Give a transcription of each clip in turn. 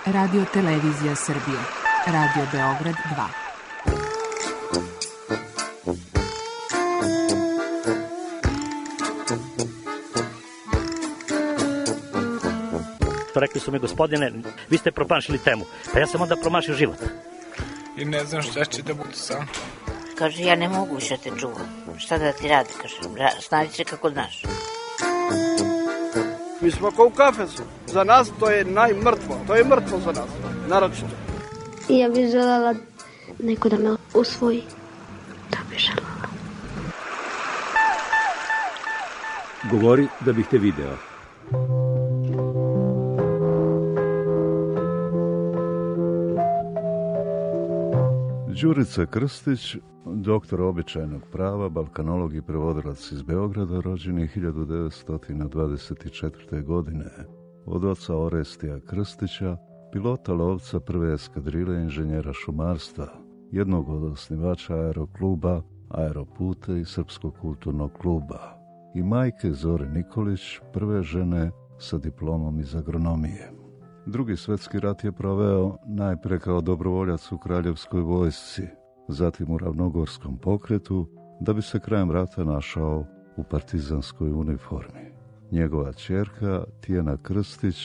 Radio Televizija Srbije. Radio Beograd 2. Rekli su mi, gospodine, vi ste promašili temu. Pa ja sam onda promašio život. I ne znam šta će da bude sam. Kaže, ja ne mogu više te čuvam. Šta da ti radi, kaže, snađi se kako znaš. Mi smo kao u kafesu. Za nas to je najmrtvo. To je mrtvo za nas, naročito. Ja bih želela neko da me usvoji. To bih želela. Govori da bih te video. Đurica Krstić, doktor običajnog prava, balkanolog i prevodilac iz Beograda, rođen je 1924. godine. Od oca Orestija Krstića, pilota lovca prve eskadrile inženjera šumarstva, jednog od osnivača aerokluba, Aeroputa i Srpskog kulturnog kluba, i majke Zore Nikolić, prve žene sa diplomom iz agronomije. Drugi svjetski rat je proveo najpre kao dobrovoljac u Kraljevskoj vojsci, zatim u Ravnogorskom pokretu, da bi se krajem rata našao u partizanskoj uniformi. Njegova ćerka, Tijana Krstić,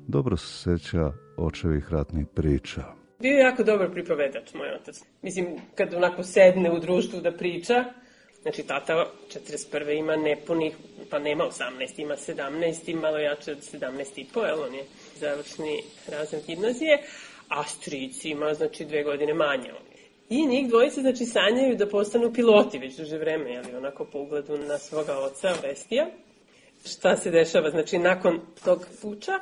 dobro se sjeća očevih ratnih priča. Bio je jako dobar pripovedač, moj otac. Mislim, kad onako sedne u društvu da priča, znači tata 41. ima nepunih, pa nema 18, ima 17, malo jače od 17,5, jel, on je završni razred gimnazije, a stric ima, znači, 2 godine manje. I njih dvojice, znači, sanjaju da postanu piloti već duže vreme, jel, onako po ugledu na svoga oca, Orestija. Šta se dešava, znači, nakon tog puča,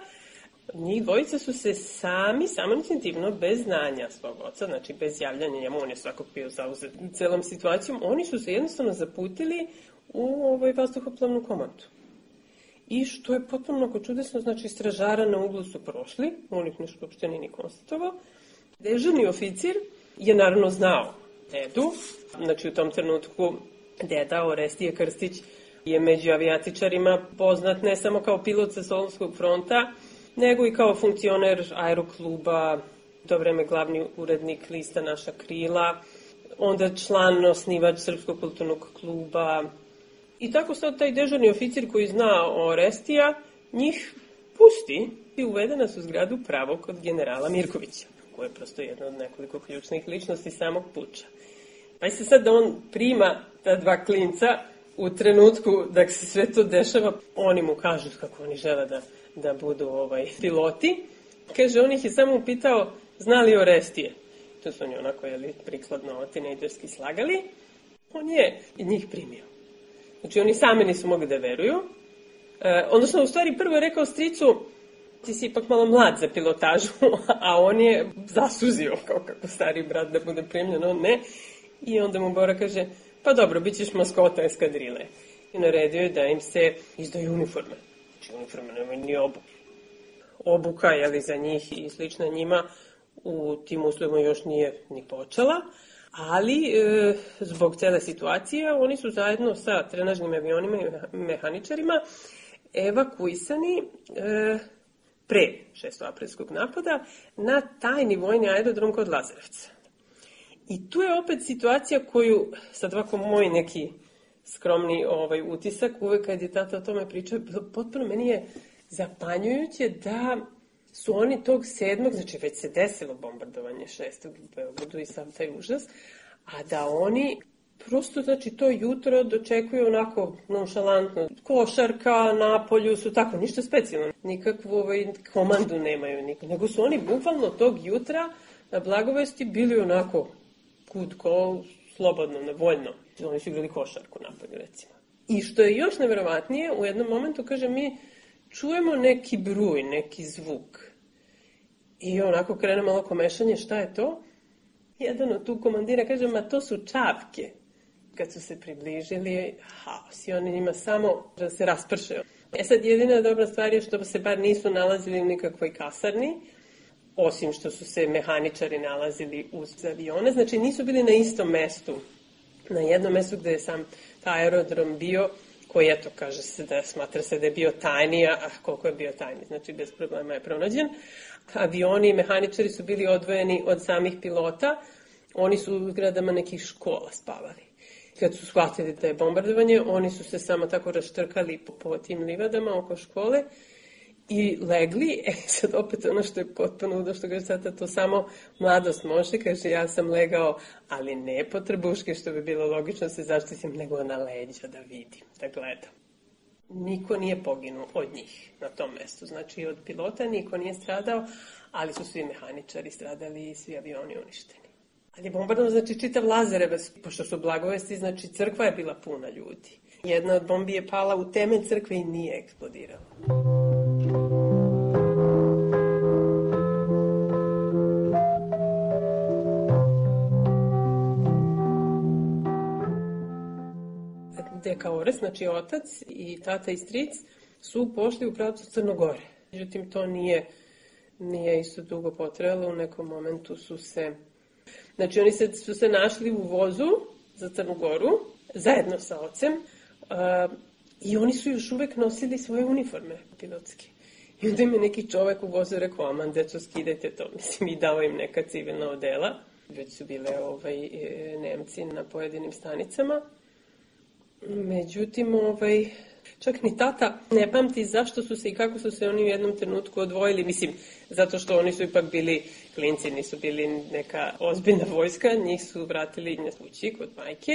njih dvojica su se samoinicijativno, bez znanja svog oca, znači bez javljanja njemu, on je svakog bio zauzet celom situacijom, oni su se jednostavno zaputili u vazduhoplovnu komandu. I što je potpuno onako čudesno, znači stražara na uglu su prošli, on ih nešto uopšte nije ni konstatovao. Dežurni oficir je naravno znao dedu, znači u tom trenutku deda Orestije Krstić je među avijatičarima poznat ne samo kao pilot sa Solunskog fronta, nego i kao funkcioner aerokluba, to vreme glavni urednik lista Naša krila, onda član, osnivač Srpskog kulturnog kluba. I tako sad taj dežurni oficir koji zna Orestija, njih pusti i uvede nas u zgradu pravo kod generala Mirkovića, koji je prosto jedna od nekoliko ključnih ličnosti samog puča. Pa se sad da on prima ta dva klinca u trenutku da se sve to dešava, oni mu kažu kako oni žele da budu piloti. Kaže, on ih je samo upitao, zna li Orestije? To su oni onako, prikladno tinejderski slagali. On je njih primio. Znači, oni sami nisu mogli da veruju. Odnosno, u stvari, prvo je rekao stricu, ti si ipak malo mlad za pilotažu, a on je zasuzio, kao kako stari brat da bude primljen, on ne. I onda mu Bora kaže, pa dobro, bit ćeš maskota eskadrile. I naredio je da im se izdaju uniforme. Znači, uniforme nemaju ni obuku. Obuka, za njih i slična njima u tim uslovima još nije ni počela, ali zbog cele situacije oni su zajedno sa trenažnim avionima i mehaničarima evakuisani pre 6. aprilskog napada na tajni vojni aerodrom kod Lazarevca. I tu je opet situacija koju, sad ovako moj neki skromni utisak, uvek kad je tata o tome pričao, potpuno meni je zapanjujuće da su oni tog 7. znači već se desilo bombardovanje 6. u Beogradu i sam taj užas, a da oni prosto, znači, to jutro dočekuju onako nonšalantno. Košarka, na polju su tako, ništa specijalno. Nikakvu komandu nemaju, nego su oni bukvalno tog jutra na Blagovesti bili onako kutko, slobodno, nevoljno. Oni su igrali košarku na polju, recimo. I što je još neverovatnije, u jednom momentu, kaže, mi čujemo neki bruj, neki zvuk. I onako krene malo komešanje, šta je to? Jedan od tu komandira kaže, ma to su čavke. Kad su se približili, haos, i oni njima samo da se rasprše. Sad jedina dobra stvar je što se bar nisu nalazili u nikakvoj kasarni, osim što su se mehaničari nalazili uz avione, znači nisu bili na istom mestu. Na jednom mestu gde je sam taj aerodrom bio, koji, eto, kaže se da smatra se da je bio tajni, a koliko je bio tajni, znači bez problema je pronađen. Avioni i mehaničari su bili odvojeni od samih pilota, oni su u zgradama nekih škola spavali. Kad su shvatili da je bombardovanje, oni su se samo tako raštrkali po tim livadama oko škole i legli. Sad opet ono što je potpuno ludo, što kaže sada, to samo mladost može, kaže ja sam legao, ali ne po trbuške, što bi bilo logično se zaštitim, nego na leđa da vidim, da gledam. Niko nije poginuo od njih na tom mestu, znači od pilota niko nije stradao, ali su svi mehaničari stradali i svi avioni uništeni. Ali bombardovano, znači čitav Lazarevac, pošto su Blagovesti, znači crkva je bila puna ljudi. Jedna od bombi je pala u temelj crkve i nije eksplodirala. Deka Ores, znači otac i tata i stric, su pošli u pravcu Crnogore. Međutim, to nije isto dugo potrajalo, u nekom momentu su se... Znači, oni su se našli u vozu za Crnu Goru, zajedno sa ocem, i oni su još uvek nosili svoje uniforme pilotske. I onda im je neki čovek u vozu rekao, aman, deco, skidajte to. Mislim, i dao im neka civilna odela. Već su bile Nemci na pojedinim stanicama. Međutim, čak ni tata ne pamti zašto su se i kako su se oni u jednom trenutku odvojili. Mislim, zato što oni su ipak bili klinci, nisu bili neka ozbiljna vojska, njih su vratili na kući kod majke,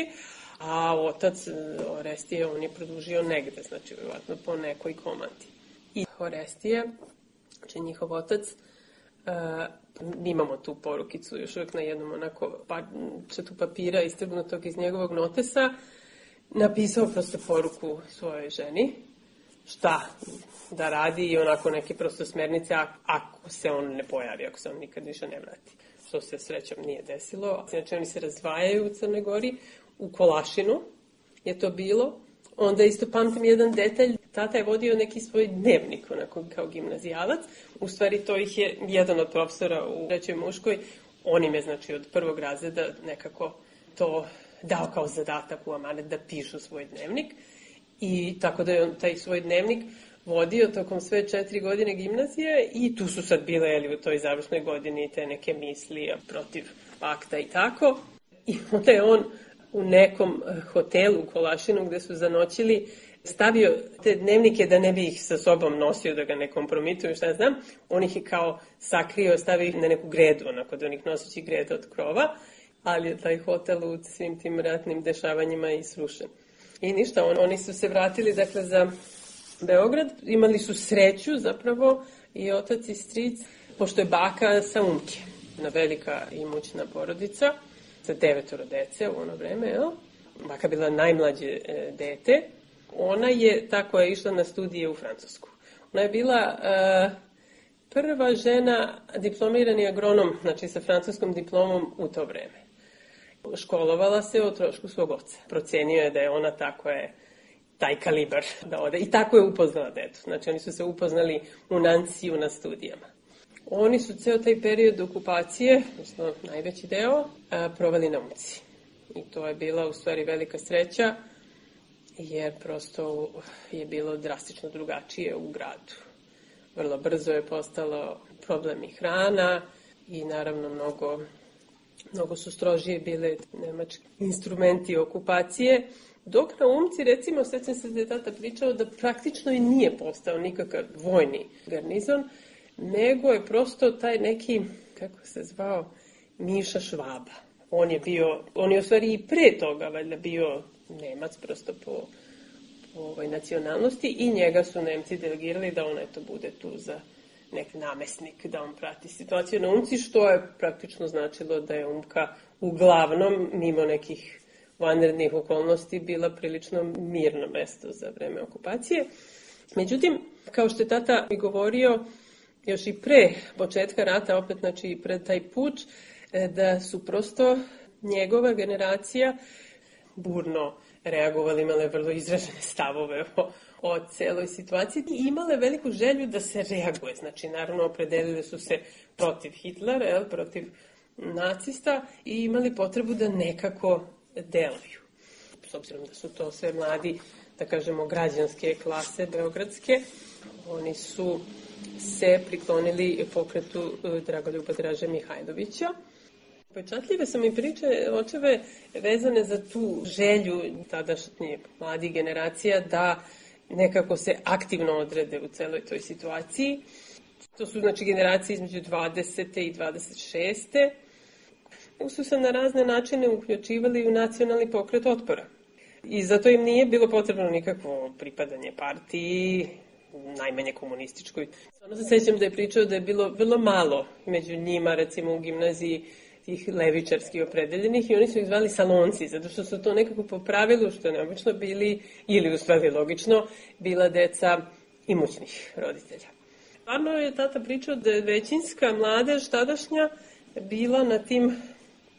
a otac Orestije on je produžio negde, znači vjerovatno po nekoj komandi. I Orestije, znači njihov otac, imamo tu porukicu još uvijek na jednom onako četu papira istrgnutog iz njegovog notesa, napisao prosto poruku svojoj ženi, šta da radi i onako neke prosto smernice ako se on ne pojavi, ako se on nikad više ne vrati. Što se srećom nije desilo. Znači oni se razdvajaju u Crnoj Gori, u Kolašinu je to bilo. Onda isto pamtim jedan detalj, tata je vodio neki svoj dnevnik, onako kao gimnazijalac. U stvari to ih je jedan od profesora u trećoj muškoj, on im je znači od prvog razreda nekako to dao kao zadatak u amanet da pišu svoj dnevnik. I tako da je on taj svoj dnevnik vodio tokom sve 4 godine gimnazije i tu su sad bile u toj završnoj godini te neke misli protiv pakta i tako. I onda je on u nekom hotelu u Kolašinu gde su zanoćili stavio te dnevnike da ne bi ih sa sobom nosio, da ga ne kompromituju, šta znam. On ih je kao sakrio, stavio ih na neku gredu, onako da onih noseći greda od krova, ali je taj hotel u svim tim ratnim dešavanjima i srušen. I ništa, oni su se vratili dakle za Beograd, imali su sreću zapravo i otac i stric, pošto je baka sa Umke, jedna velika imućna porodica, sa 9 dece u ono vreme, jel? Baka bila najmlađe dete. Ona je tako je išla na studije u Francusku. Ona je bila prva žena diplomirani agronom, znači sa francuskom diplomom u to vreme. Školovala se o trošku svog oca. Procenio je da je ona tako je taj kalibar da ode. I tako je upoznala detu. Znači oni su se upoznali u Nanciju na studijama. Oni su ceo taj period okupacije, odnosno najveći deo, proveli na Umci. I to je bila u stvari velika sreća, jer prosto je bilo drastično drugačije u gradu. Vrlo brzo je postalo problem i hrana i naravno mnogo su strožije bile nemački instrumenti okupacije, dok na Umci, recimo, sećam se da je tata pričao da praktično i nije postao nikakav vojni garnizon, nego je prosto taj neki, kako se zvao, Miša Švaba. On je u stvari i pre toga valjda bio Nemac prosto po nacionalnosti i njega su Nemci delegirali da on eto bude tu za nek namesnik, da on prati situaciju na Umci, što je praktično značilo da je Umka uglavnom, mimo nekih vanrednih okolnosti, bila prilično mirno mesto za vreme okupacije. Međutim, kao što je tata mi govorio, još i pre početka rata, opet znači i pred taj puč, da su prosto njegova generacija burno reagovali, imale vrlo izražene stavove o celoj situaciji i imale veliku želju da se reaguje. Znači, naravno, opredelili su se protiv Hitlera, protiv nacista i imali potrebu da nekako deluju. S obzirom da su to sve mladi da kažemo, građanske klase beogradske. Oni su se priklonili pokretu Dragoljuba Draže Mihajlovića. Pečatljive su mi priče očeve vezane za tu želju tadašnje mladih generacija da nekako se aktivno odrede u celoj toj situaciji. To su znači generacije između 20. i 26. Su se na razne načine uključivali u nacionalni pokret otpora. I zato im nije bilo potrebno nikakvo pripadanje partiji, najmanje komunističkoj. Ono se sećam da je pričao da je bilo vrlo malo među njima, recimo u gimnaziji, tih levičarski opredeljenih i oni su ih zvali salonci, zato što su to nekako po pravilu, što je neobično, bili, ili u stvari logično, bila deca imućnih roditelja. Stvarno je tata pričao da je većinska mladež tadašnja bila na tim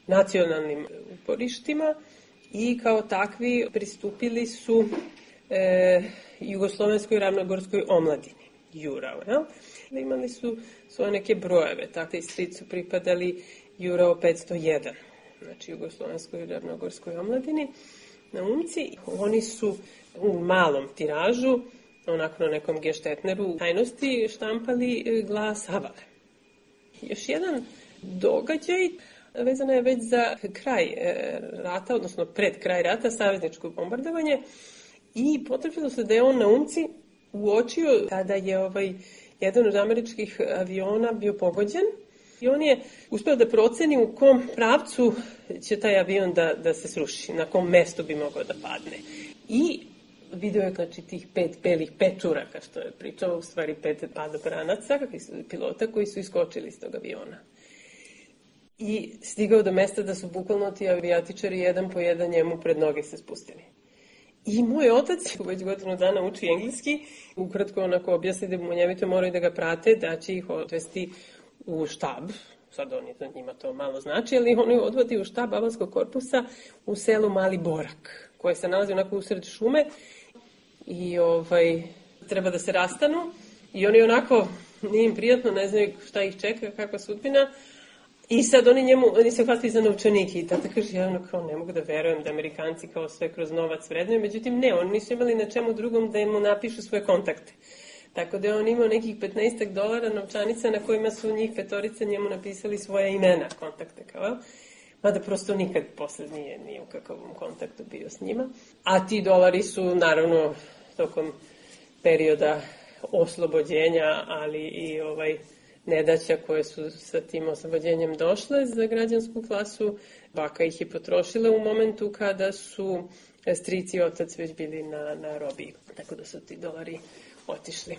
nacionalnim uporištima i kao takvi pristupili su Jugoslovenskoj ravnogorskoj omladini, Jurao. Ja? Imali su svoje neke brojeve, takve stric su pripadali Jurao 501, znači Jugoslovenskoj ravnogorskoj omladini na Umci. Oni su u malom tiražu, onako na nekom geštetneru, tajnosti štampali glas Havale. Još jedan događaj vezana je već za kraj rata, odnosno pred kraj rata, savezničko bombardovanje, i potvrđilo se da je on na Umci uočio kada je jedan od američkih aviona bio pogođen i on je uspeo da proceni u kom pravcu će taj avion da se sruši, na kom mestu bi mogao da padne. I video je znači tih 5 belih pečuraka, što je pričao, u stvari 5 padobranaca, pilota koji su iskočili iz tog aviona. I stigao do mesta da su bukvalno ti avijatičari jedan po jedan njemu pred noge se spustili. I moj otac, već godinu dana uči engleski, ukratko onako objasni da munjevito moraju da ga prate, da će ih odvesti u štab, sad njima to malo znači, ali oni odvodi u štab Avalskog korpusa u selu Mali Borak, koje se nalazi onako usred šume i treba da se rastanu i oni onako, nije im prijatno, ne znaju šta ih čeka, kakva sudbina. I sad oni se hvatili za novčanike i tata kaže, ja ne mogu da verujem da Amerikanci kao sve kroz novac vrednuju, međutim ne, oni nisu imali na čemu drugom da mu napišu svoje kontakte. Tako da je on imao nekih $15 novčanica na kojima su njih 5 njemu napisali svoja imena, kontakte kao, mada prosto nikad posle nije u kakvom kontaktu bio s njima. A ti dolari su naravno tokom perioda oslobođenja, ali i nedaća koje su sa tim oslobođenjem došle za građansku klasu. Baka ih je potrošila u momentu kada su stric i otac već bili na robiji. Tako da su ti dolari otišli.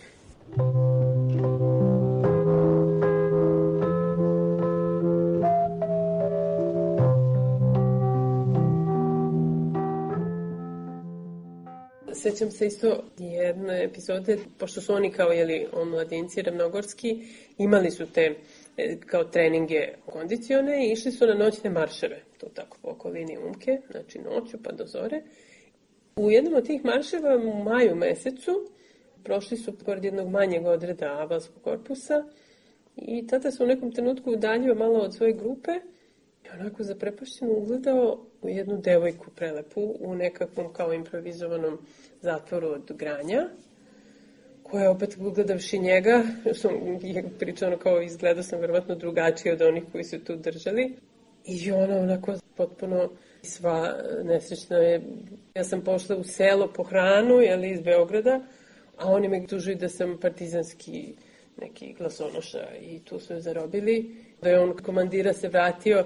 Sećam se isto jedne epizode, pošto su oni kao omladinci ravnogorski, imali su te kao treninge kondicione i išli su na noćne marševe, to tako po okolini Umke, znači noću pa do zore. U jednom od tih marševa u maju mesecu prošli su pored jednog manjeg odreda Avalskog korpusa i tata se u nekom trenutku udaljio malo od svoje grupe i onako zaprepašćeno ugledao u jednu devojku prelepu u nekakvom kao improvizovanom zatvoru od granja, koja opet gledavši njega, što je pričano kao izgledao sam verovatno drugačije od onih koji su tu držali. I ona onako potpuno sva nesrećna je. Ja sam pošla u selo po hranu, iz Beograda, a oni me tužuju da sam partizanski neki glasonoša i tu su je zarobili. Da je on komandira se vratio,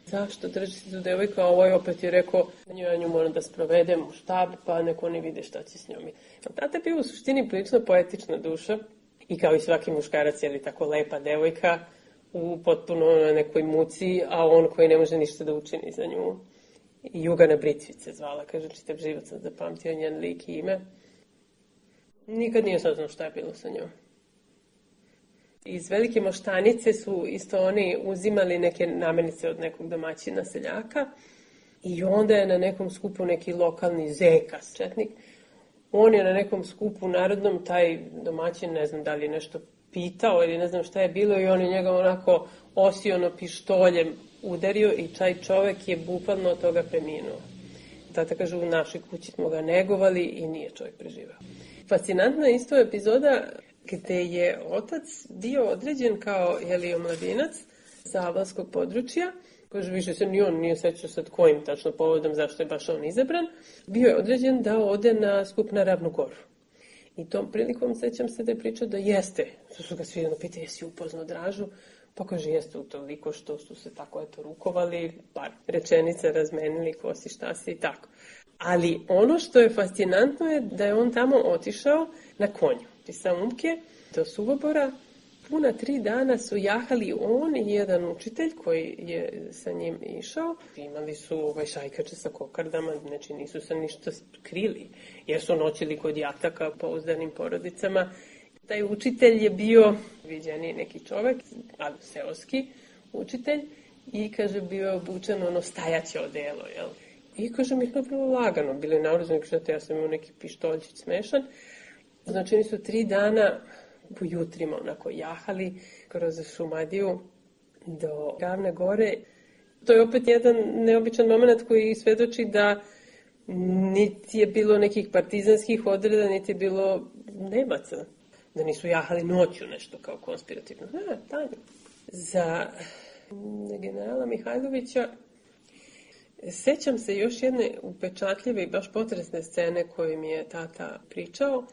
zašto drži se tu devojka, a ovaj opet je rekao, ja nju moram da sprovedem u štab, pa neko oni vide šta će s njom. Tata je bio u suštini prilično poetična duša i kao i svaki muškarac, tako lepa devojka u potpuno nekoj muci, a on koji ne može ništa da učini za nju. Jugana Britvice zvala, kaže, čitav život sam zapamtio njen lik i ime. Nikad nije saznao šta je bilo sa njom. Iz Velike Moštanice su isto oni uzimali neke namirnice od nekog domaćina seljaka i onda je na nekom skupu neki lokalni zeka, četnik. On je na nekom skupu narodnom, taj domaćin, ne znam da li je nešto pitao ili ne znam šta je bilo i on je njega onako osiono pištoljem udario i taj čovek je bukvalno od toga preminuo. tata kaže, u našoj kući smo ga negovali i nije čovjek preživao. Fascinantna je isto epizoda gde je otac bio određen kao omladinac sa albanskog područja, kaže više se ni on nije sećao sad kojim tačno povodom zašto je baš on izabran, bio je određen da ode na skup na Ravnu Goru. I tom prilikom sećam se da je pričao da jeste, su ga svi pitali, jesi upoznao Dražu? Pa kaže, jeste utoliko što su se tako rukovali, par rečenica razmenili, ko si, šta si i tako. Ali ono što je fascinantno je da je on tamo otišao na konju. Iz Saumke do Suvobora puna 3 dana su jahali on i jedan učitelj koji je sa njim išao. Imali su šajkače sa kokardama, znači nisu se ništa krili, jer su noćili kod jataka pouzdanim porodicama. Taj učitelj je bio viđeni neki čovek, ali seoski učitelj, i kaže bio je obučen stajaće odelo, jel? I kaže mi je bilo lagano, bili naoružani, kaže ja sam imao neki pištoljčić smešan. Znači oni su 3 dana po jutrima onako jahali kroz Šumadiju do Ravne Gore. To je opet jedan neobičan moment koji svedoči da niti je bilo nekih partizanskih odreda, niti je bilo Nemaca. Da nisu jahali noću nešto kao konspirativno. Danju. Za generala Mihajlovića sećam se još jedne upečatljive i baš potresne scene koje mi je tata pričao.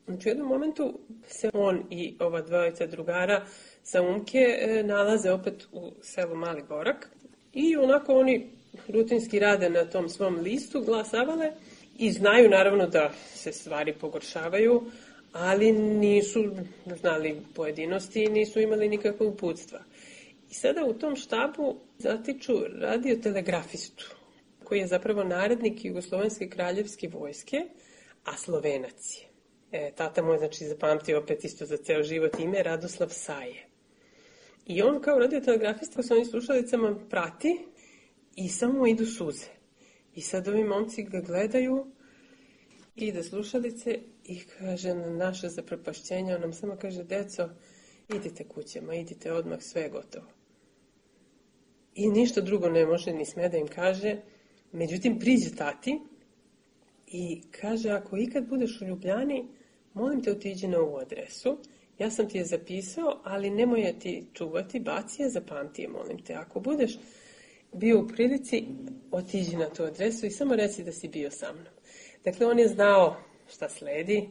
Znači u jednom momentu se on i ova dvojica drugara sa Umke nalaze opet u selu Mali Gorak i onako oni rutinski rade na tom svom listu, glasavale i znaju naravno da se stvari pogoršavaju, ali nisu znali pojedinosti i nisu imali nikakve uputstva. I sada u tom štabu zatiču radiotelegrafistu, koji je zapravo narednik Jugoslovenske kraljevske vojske, a Slovenac je. Tata mu je zapamtio opet isto za ceo život ime Radoslav Saje. I on kao radiotelegrafista sa ovim slušalicama prati i samo idu suze. I sad ovi momci ga gledaju, ide slušalice i kaže na naše zapropašćenje, on nam samo kaže, deco, idite kućama, idite odmah, sve je gotovo. I ništa drugo ne može ni sme da im kaže. Međutim, priđe tati i kaže, ako ikad budeš u Ljubljani, molim te otiđi na ovu adresu. Ja sam ti je zapisao, ali nemoj je ti čuvati, baci je, zapamti je, molim te. Ako budeš bio u prilici, otiđi na tu adresu i samo reci da si bio sa mnom. Dakle, on je znao šta sledi.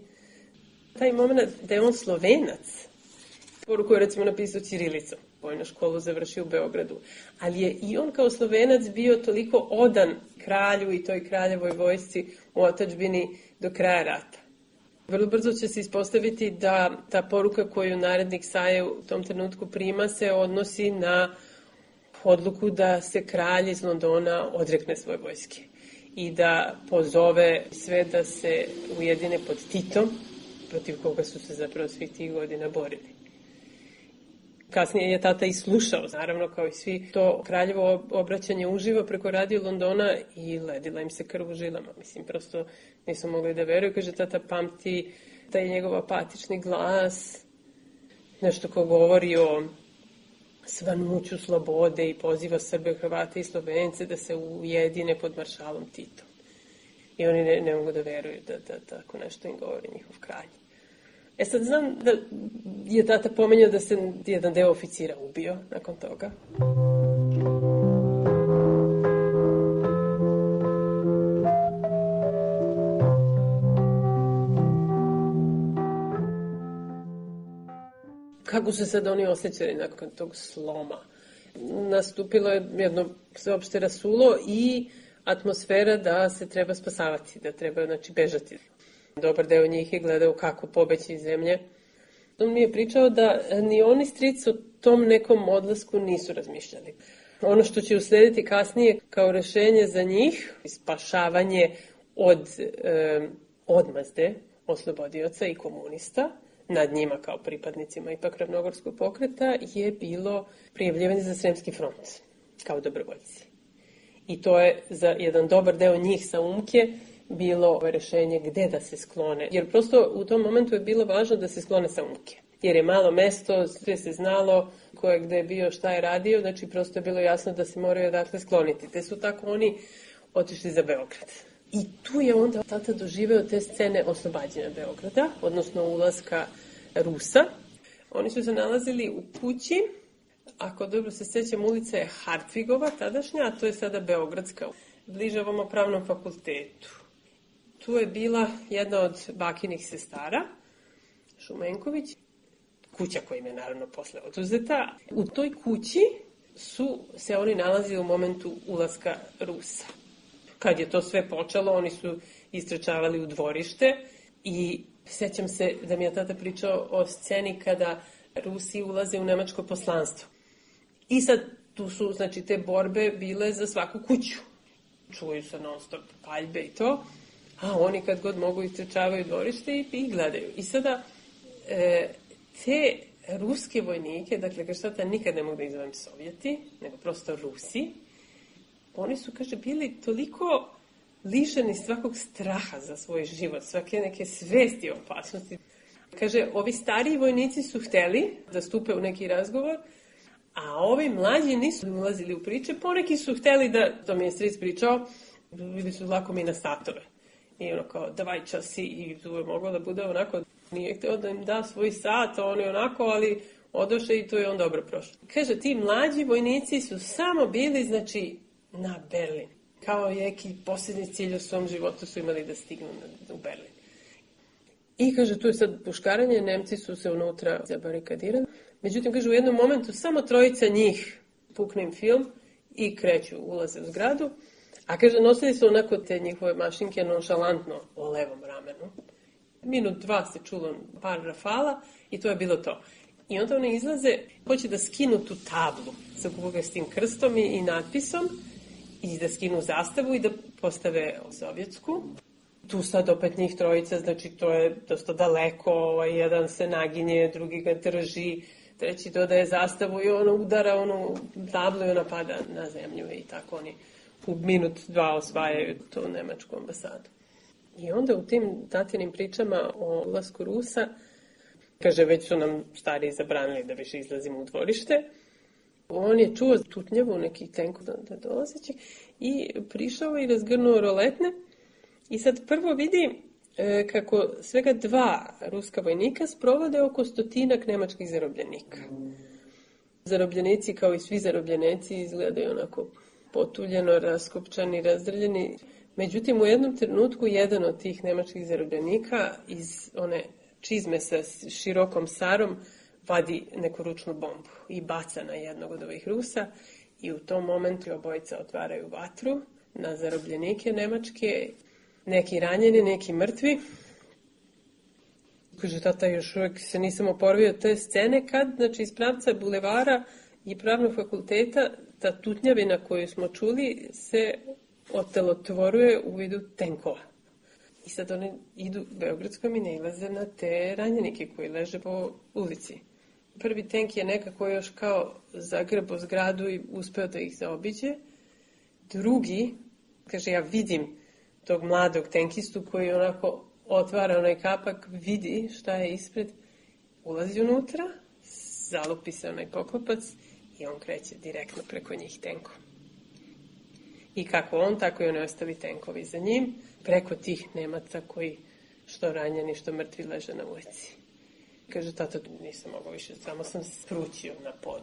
Taj moment da je on Slovenac, poruku je recimo napisao ćirilicom, vojnu školu završio u Beogradu, ali je i on kao Slovenac bio toliko odan kralju i toj kraljevoj vojsci u otadžbini do kraja rata. Vrlo brzo će se ispostaviti da ta poruka koju narednik Saje u tom trenutku prima se odnosi na odluku da se kralj iz Londona odrekne svoje vojske i da pozove sve da se ujedine pod Titom, protiv koga su se zapravo svih tih godina borili. Kasnije je tata i slušao, naravno kao i svi, to kraljevo obraćanje uživo preko radio Londona i ledila im se krv u žilama. Mislim, prosto nisu mogli da veruju. Kaže, tata pamti taj njegov apatični glas, nešto ko govori o svanuću slobode i poziva Srbe, Hrvate i Slovence da se ujedine pod maršalom Titom. I oni ne mogu da veruju da tako nešto im govori njihov kralj. Sad znam da je tata pomenjao da se jedan deo oficira ubio nakon toga. Kako su sad oni osjećali nakon tog sloma? Nastupilo je jedno sveopšte rasulo i atmosfera da se treba spasavati, da treba bežati. Dobar deo njih je gledao kako pobeći iz zemlje. On mi je pričao da ni oni stric o tom nekom odlasku nisu razmišljali. Ono što će uslediti kasnije kao rešenje za njih, spašavanje od odmazde oslobodioca i komunista, nad njima kao pripadnicima ipak Ravnogorskog pokreta, je bilo prijavljivanje za Sremski front kao dobrovoljci. I to je za jedan dobar deo njih sa Umke bilo rešenje gde da se sklone. Jer prosto u tom momentu je bilo važno da se sklone sa Umke. Jer je malo mesto, sve se znalo ko je gde je bio, šta je radio, znači prosto je bilo jasno da se moraju odatle skloniti. Te su tako oni otišli za Beograd. I tu je onda tata doživeo te scene oslobađanja Beograda, odnosno ulaska Rusa. Oni su se nalazili u kući, ako dobro se sjećam, ulica je Hartvigova tadašnja, a to je sada Beogradska, bliže ovom pravnom fakultetu. Tu je bila jedna od bakinih sestara, Šumenković, kuća koja im je naravno posle oduzeta. U toj kući su se oni nalazili u momentu ulaska Rusa. Kad je to sve počelo, oni su istrčavali u dvorište i sjećam se da mi je tata pričao o sceni kada Rusi ulaze u nemačko poslanstvo. I sad tu su, znači, te borbe bile za svaku kuću. Čuju se non stop paljbe i to, a oni kad god mogu istrčavaju u dvorište i gledaju. I sada te ruske vojnike, dakle, kaže tata, nikad ne mogu da izovem Sovjeti, nego prosto Rusi, oni su, kaže, bili toliko lišeni svakog straha za svoj život, svake neke svesti o opasnosti. Kaže, ovi stariji vojnici su hteli da stupe u neki razgovor, a ovi mlađi nisu ulazili u priče, poneki su hteli da, to mi je stric pričao, bili su lako mi na satove. I ono kao, davaj časi, i tu je moglo da bude onako, nije htio da im da svoj sat, oni onako, ali odoše i to je on dobro prošlo. Kaže, ti mlađi vojnici su samo bili, znači, na Berlin. Kao neki posljednji cilj u svom životu su imali da stignu u Berlin. I kaže, tu je sad puškaranje, Nemci su se unutra zabarikadirali. Međutim, kaže, u jednom momentu samo trojica njih pukne im film i kreću, ulaze u zgradu. A kaže, nosili su onako te njihove mašinke nonšalantno o levom ramenu. Minut, dva se čulo par rafala i to je bilo to. I onda oni izlaze, hoće da skinu tu tablu sa kupovskim krstom i natpisom i da skinu zastavu i da postave sovjetsku. Tu sad opet njih trojica, znači to je dosta daleko, jedan se naginje, drugi ga drži, treći dodaje zastavu i ono udara onu tablu i ona pada na zemlju i tako oni u minut, dva osvajaju tu nemačku ambasadu. I onda u tim tatinim pričama o ulasku Rusa, kaže, već su nam stariji zabranili da više izlazimo u dvorište. On je čuo tutnjavu nekih tenkova da dolazeći i prišao i razgrnuo roletne. I sad prvo vidi kako svega 2 ruska vojnika sprovode oko 100 nemačkih zarobljenika. Zarobljenici, kao i svi zarobljenici, izgledaju onako potuljeno, raskopčani, razdrljeni. Međutim, u jednom trenutku jedan od tih nemačkih zarobljenika iz one čizme sa širokom sarom vadi neku ručnu bombu i baca na jednog od ovih Rusa i u tom momentu obojica otvaraju vatru na zarobljenike nemačke, neki ranjeni, neki mrtvi. Kaže, tata, još uvijek se nisam oporavio te scene kad, znači, iz pravca bulevara i pravnog fakulteta, ta tutnjavina koju smo čuli se otelotvoruje u vidu tenkova. I sad oni idu Beogradskom i nailaze na te ranjenike koji leže po ulici. Prvi tenk je nekako još kao zagrebo zgradu i uspeo da ih zaobiđe. Drugi, kaže, ja vidim tog mladog tenkistu koji onako otvara onaj kapak, vidi šta je ispred, ulazi unutra, zalupi se onaj poklopac i on kreće direktno preko njih tenkom. I kako on, tako i oni ostali tenkovi za njim, preko tih Nemaca koji što ranjeni, što mrtvi leže na ulici. Kaže, tata, nisam mogao više, samo sam sprućio na pod.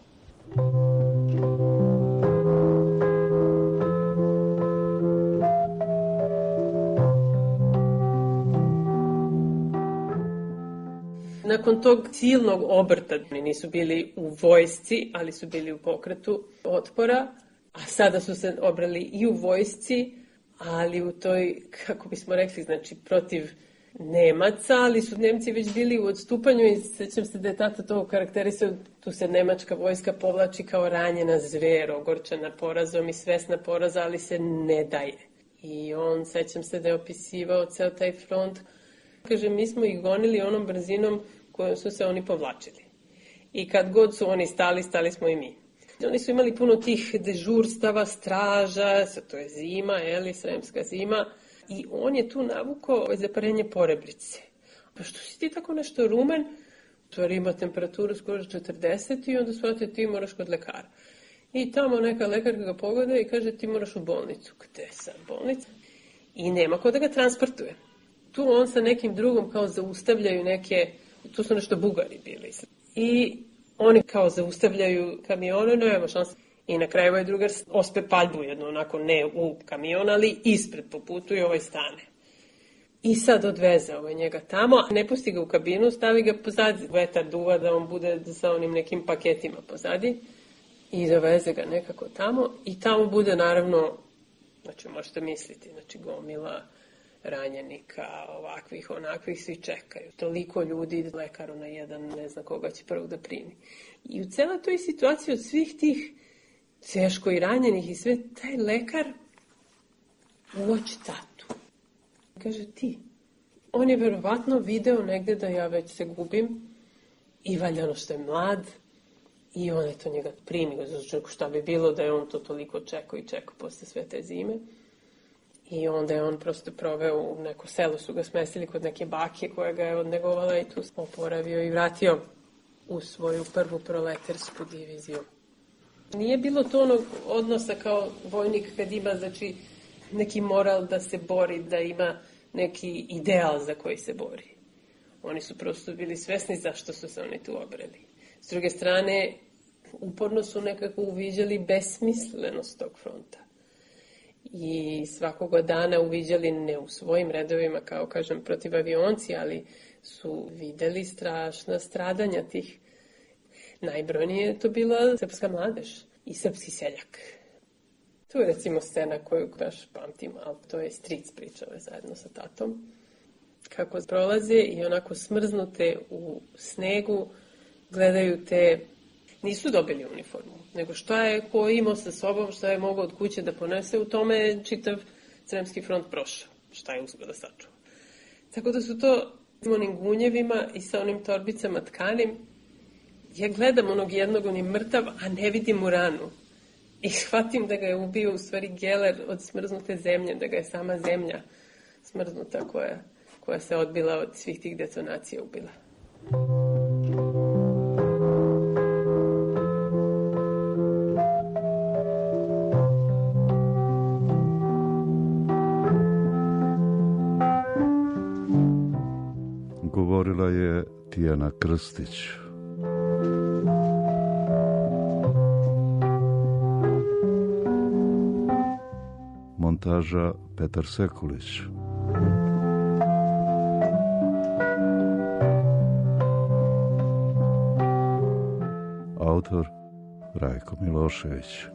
Nakon tog silnog obrta, oni nisu bili u vojsci, ali su bili u pokretu otpora, a sada su se obrali i u vojsci, ali u toj, kako bismo rekli, znači protiv Nemaca, ali su Nemci već bili u odstupanju i sećam se da je tata to karakterisao, tu se nemačka vojska povlači kao ranjena zver, ogorčena porazom i svesna poraza, ali se ne daje. I on, sećam se da je opisivao ceo taj front, kaže, mi smo ih gonili onom brzinom kojom su se oni povlačili. I kad god su oni stali, stali smo i mi. Oni su imali puno tih dežurstava, straža, to je zima, sremska zima, i on je tu navukao zaparenje porebrice. Pa što si ti tako nešto rumen, to ima temperaturu skoro 40 i onda shvatite ti moraš kod lekara. I tamo neka lekarka ga pogleda i kaže ti moraš u bolnicu. Gde sam bolnica? I nema ko da ga transportuje. Tu on sa nekim drugom kao zaustavljaju neke, tu su nešto Bugari bili. I oni kao zaustavljaju kamione, no evo šanse. I na kraju ovaj drugar ospe paljbu jednu, onako ne u kamion, ali ispred po putu i ovaj stane. I sad odveze ovaj njega tamo, ne pusti ga u kabinu, stavi ga pozadi. Vetar duva da on bude sa onim nekim paketima pozadi. I doveze ga nekako tamo. I tamo bude naravno, znači možete misliti, znači gomila ranjenika, ovakvih, onakvih, svi čekaju. Toliko ljudi, lekaru na jedan, ne zna koga će prvog da primi. I u celoj toj situaciji od svih tih teško i ranjenih i sve, taj lekar uoči tatu. Kaže ti. On je verovatno video negde da ja već se gubim i valjda ono što je mlad i on je to njega primio. Znači šta bi bilo da je on to toliko čekao i čekao posle sve te zime. I onda je on prosto proveo u neko selo, su ga smestili kod neke bake koja ga je odnegovala i tu oporavio i vratio u svoju prvu proletarsku diviziju. Nije bilo to onog odnosa kao vojnik kad ima, znači, neki moral da se bori, da ima neki ideal za koji se bori. Oni su prosto bili svesni zašto su se oni tu obreli. S druge strane, uporno su nekako uviđali besmislenost tog fronta. I svakoga dana uviđali, ne u svojim redovima, kao kažem, protiv avionci, ali su videli strašna stradanja tih. Najbrojnije je to bila srpska mladež i srpski seljak. Tu je recimo scena koju baš pamtim, ali to je stric pričao zajedno sa tatom. Kako prolaze i onako smrznute u snegu, gledaju te, nisu dobili uniformu, nego šta je ko imao sa sobom, šta je mogao od kuće da ponese, u tome je čitav Sremski front prošao, šta je uspio da sačuva. Tako da su to onim gunjevima i sa onim torbicama tkanim. Ja gledam onog jednog, on je mrtav, a ne vidim mu ranu. I shvatim da ga je ubio u stvari geler od smrznute zemlje, da ga je sama zemlja smrznuta koja se odbila od svih tih detonacija ubila. Govorila je Tijana Krstić. Montaža Petar Sekulić. Autor Rajko Milošević.